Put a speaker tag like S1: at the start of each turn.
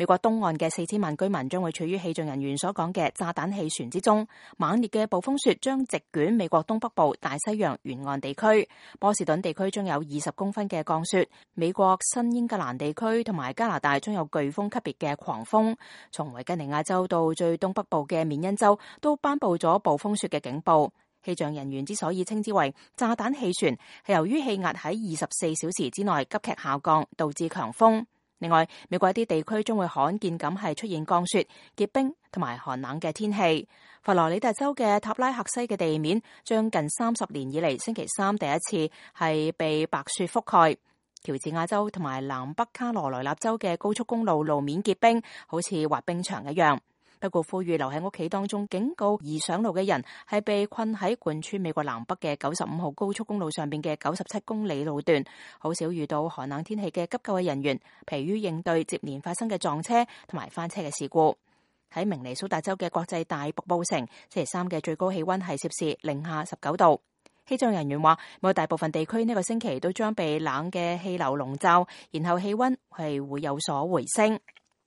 S1: 美國東岸嘅4000萬居民將會處於氣象人員所講嘅炸彈氣旋之中，猛烈嘅暴風雪將席捲美國東北部大西洋沿岸地區，波士頓地區將有20公分嘅降雪，美國新英格蘭地區同埋加拿大將有颶風級別嘅狂風，從維吉尼亞州到最東北部嘅緬因州都頒布咗暴風雪嘅警報。氣象人員之所以稱之為炸彈氣旋，係由於氣壓喺24小時之內急劇下降，導致強風。另外，美國一啲地區將會罕見咁係出現降雪、結冰同埋寒冷嘅天氣。佛羅里達州嘅塔拉克西嘅地面將近30年以嚟星期三第一次係被白雪覆蓋。喬治亞州同埋南北卡羅來納州嘅高速公路路面結冰，好似滑冰場一樣。不過呼籲留喺屋企當中，警告易上路嘅人係被困喺貫穿美國南北嘅95號高速公路上邊嘅97公里路段，好少遇到寒冷天氣嘅急救嘅人員，疲於應對接連發生嘅撞車同埋翻車嘅事故。喺明尼蘇達州嘅國際大瀑布城，星期三嘅最高氣溫係攝氏零下19度。氣象人員話，美國大部分地區呢個星期都將被冷嘅氣流籠罩，然後氣溫係會有所回升。